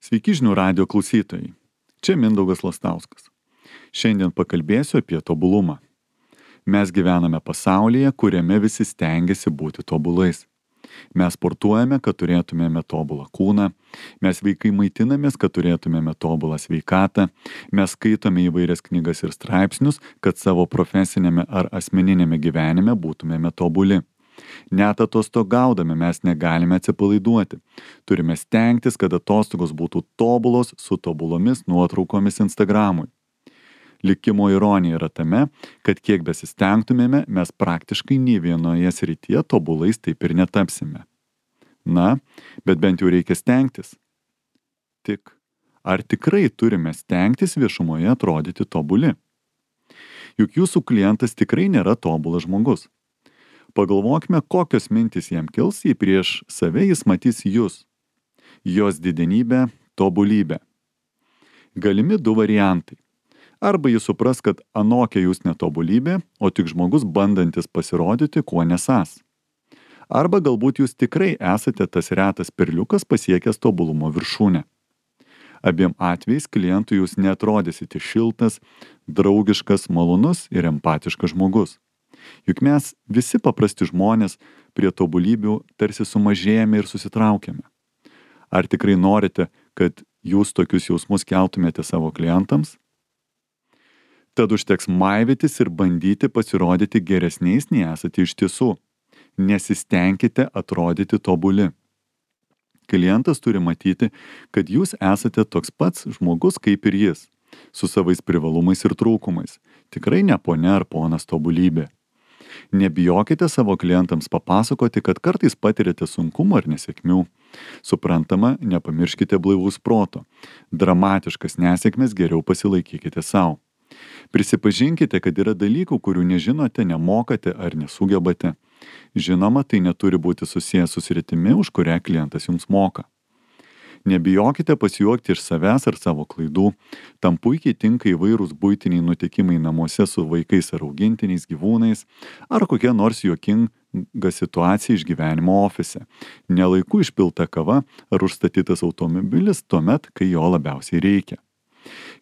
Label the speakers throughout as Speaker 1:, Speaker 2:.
Speaker 1: Sveiki žinių radijo klausytojai. Čia Mindaugas Lastauskas. Šiandien pakalbėsiu apie tobulumą. Mes gyvename pasaulyje, kuriame visi stengiasi būti tobulais. Mes sportuojame, kad turėtumėme tobulą kūną. Mes vaikai maitinamės, kad turėtumėme tobulą sveikatą. Mes skaitome įvairias knygas ir straipsnius, kad savo profesinėme ar asmeninėme gyvenime būtumėme tobuli. Net atostogaudami mes negalime atsipalaiduoti. Turime stengtis, kad atostogos būtų tobulos su tobulomis nuotraukomis Instagramui. Likimo ironija yra tame, kad kiek besistengtumėme, mes praktiškai nei vienoje srityje tobulais taip ir netapsime. Na, bet bent jau reikia stengtis. Tik, ar tikrai turime stengtis viešumoje atrodyti tobuli? Juk jūsų klientas tikrai nėra tobulas žmogus. Pagalvokime, kokios mintys jam kils, jei prieš save jis matys jūs. Jos didenybę, tobulybę. Galimi du variantai. Arba jis supras, kad anokia jūs netobulybė, o tik žmogus bandantis pasirodyti, kuo nesas. Arba galbūt jūs tikrai esate tas retas perliukas pasiekęs tobulumo viršūnę. Abiem atvejais klientui jūs netrodysite šiltas, draugiškas, malonus ir empatiškas žmogus. Juk mes visi paprasti žmonės prie tobulybių tarsi sumažėjame ir susitraukiame. Ar tikrai norite, kad jūs tokius jausmus keltumėte savo klientams? Tad užteks maivytis ir bandyti pasirodyti geresniais nei esate iš tiesų. Nesistengkite atrodyti tobuli. Klientas turi matyti, kad jūs esate toks pats žmogus kaip ir jis, su savais privalumais ir trūkumais. Tikrai ne ponia ar ponas tobulybė. Nebijokite savo klientams papasakoti, kad kartais patirėte sunkumų ar nesėkmių. Suprantama, nepamirškite blaivaus proto. Dramatiškas nesėkmes geriau pasilaikykite savo. Prisipažinkite, kad yra dalykų, kurių nežinote, nemokate ar nesugebate. Žinoma, tai neturi būti susijęs su sritimi, už kurią klientas jums moka. Nebijokite pasijuokti iš savęs ar savo klaidų. Tam puikiai tinka įvairūs buitiniai nutikimai namuose su vaikais ar augintiniais gyvūnais, ar kokia nors juokinga situacija iš gyvenimo ofise. Nelaiku išpilta kava ar užstatytas automobilis tuomet, kai jo labiausiai reikia.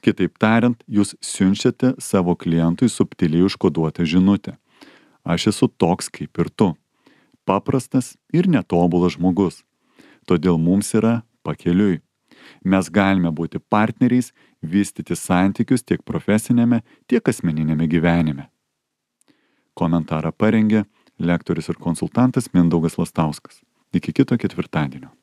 Speaker 1: Kitaip tariant, jūs siunčiate savo klientui subtiliai užkoduotą žinutę. Aš esu toks kaip ir tu. Paprastas ir netobulas žmogus. Todėl mums yra pakeliui. Mes galime būti partneriais, vystyti santykius tiek profesinėme, tiek asmeninėme gyvenime. Komentarą parengė lektorius ir konsultantas Mindaugas Lastauskas. Iki kito ketvirtadienio.